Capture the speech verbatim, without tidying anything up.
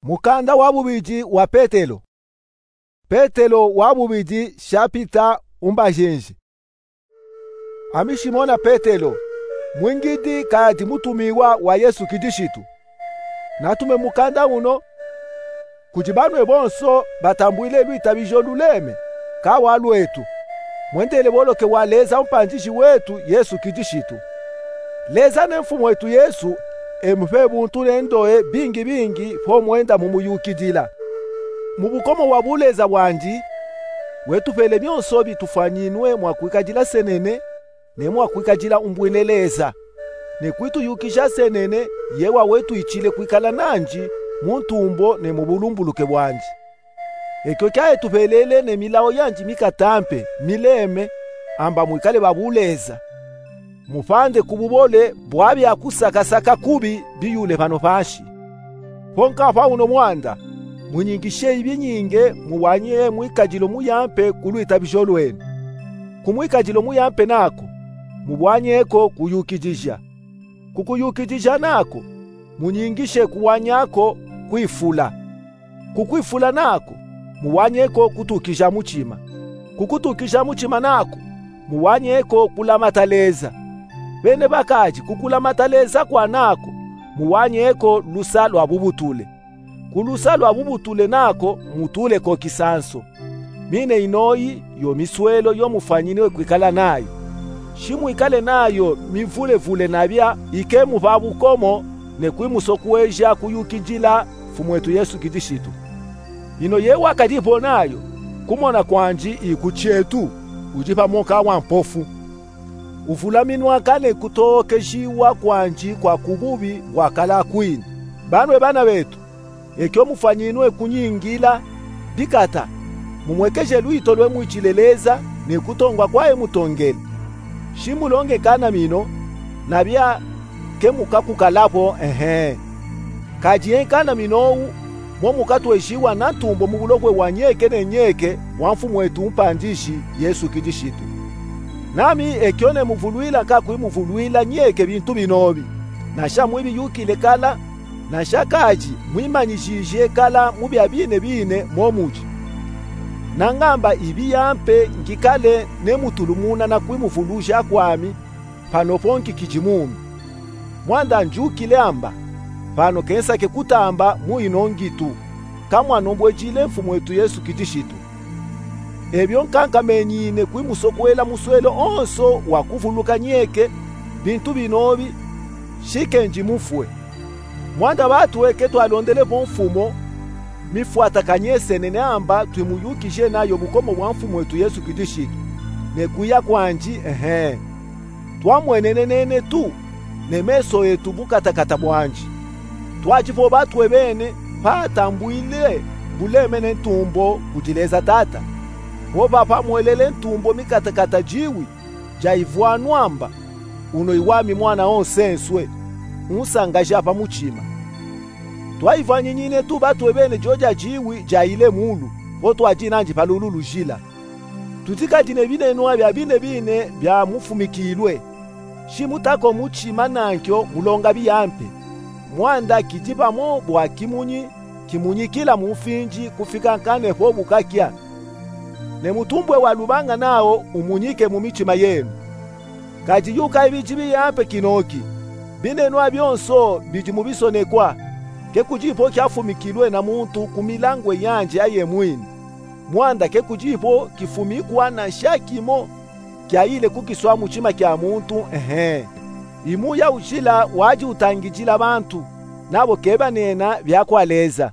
Mukanda wa bubidi wa Petelo. Petelo wa bubidi, shapita umbajenji. Ami Shimona Petelo, mwingidi kadi mutumiwa wa Yesu Kidishitu. Natume mukanda uno kudi banwe bonso batambwile lwitabijo luleme ka wa lwetu, mwendele boloke wa Leza Mpandishi wetu Yesu Kidishitu. Leza ne Mfumwetu Yesu emupe buntu ne ndoe bingi bingi po mwenda mumuyukidila. Mu bukomo wa buleza bwandi, wetupele byonso bitufwanyinwe mwa kwikajila senene, ne mwa kwikajila umbwine Leza, ne kwituyukija senene, ye wawetwichile kwikala nandi mu ntumbo ne mu bulumbuluke bwandi. Ekyo kya etupelele ne milawo yandi mikatampe, mileme, amba mwikale ba buleza, mupande ku bubole bwa bya kusakasaka kubi biyule pano panshi. Po nkapa uno mwanda, munyingishe ibinyinge, mubwanye mwikajilo muyampe ku lwitabijo lwenu. Ku mwikajilo muyampe nako, mubwanyeko kuyukijija. Ku kuyukijija nako, munyingishe kubwanyako kwifula. Ku kwifula nako, mubwanyeko kutukija muchima. Ku kutukija muchima nako, mubwanyeko kulamata Leza. Bene bakaji, ku kulamata Leza kwa nako, mubwanyeko lusa lwa bubutule. Ku lusa lwa bubutule nako, mutuleko kisanso. Mine inoyi yo miswelo yo mufwanyinwe kwikala nayo. Shimwikale nayo mivulevule nabya, ike mupa bukomo ne kwimusokweja kuyukijila Mfumwetu Yesu Kidishitu. Ino ye wakadipo nayo, kumona kwandi iku chetu, udi pa moka wa mpofu. Uvulaminwaka ne kutookejiwa kwandi kwa kububi bwakala kwini. Banwe bana betu, ekyo mufwanyinwe kunyingila bikata, mumwekeje lwito lwe mwichile Leza ne kutongwa kwa emutongele. Shimulonge nkanamino, nabya ke mukakukalapo, ehe. Kadi enkanamino owu, mo mukatwejiwa na ntumbo mu bulokwe wa nyeke ne nyeke wa Mfumwetu Mpandishi Yesu Kidishitu. Nami ekyo nemuvulwila nkakwimuvulwila nyeke bintu binobi, nasha mwibiyukile kala, nasha kadi mwimanyijije kala mu bya bine bine mo mudi. Nangamba ibiyampe ngikale nemutulumuna na kwimuvuluja kwami, pano po nkikiji mumi. Mwanda njukile amba, pano kensake kutamba mu ino ngitu, kamwanombwejile Mfumwetu Yesu Kidishitu. Ebyo nkankamenyine kwimusokwela muswelo onso wa kuvuluka nyeke bintu binobi, shikendi mufwe. Mwanda batwe ketwalondelepo mfumo mifwatakanye senene amba twimuyukije nayo bukomo bwa Mfumwetu Yesu Kidishitu, ne kwiya kwandi, ehe. Twamwenenenene tu ne meso etu bukatakata bwandi. Twadipo batwe bene patambwile buleme ne ntumbo kudi Leza Tata, po papamwelele ntumbo mikatakata diwi dya ivwanu amba: Uno iwami mwana onsenswe, unsangaja pa muchima. Twayivwanyinyine tu batwe bene dyodya diwi dyayile mulu, po twadi nandi pa lulu lujila. Tudi kadi ne binenwa bya bine bine byamufumikilwe. Shimutako muchima nankyo mulonga biyampe. Mwanda kidi pamo bwa kimunyi kimunyikila mu mfinji kufika nkanepo bukakya. Ne mutumbwe wa lubanga nawo umunyike mu michima yenu. Kadi yuka ibidi biyampe kinoki. Binenwa byonso bidi mu bisonekwa. Ke kudipo kyafumikilwe na muntu ku milangwe yandi aye mwini. Mwanda ke kudipo kifumikwa na nsha kimo kyayile ku kiswa muchima kya muntu, ehe. Imuya ujila wadi utangidila bantu, nabo ke banena bya kwa Leza.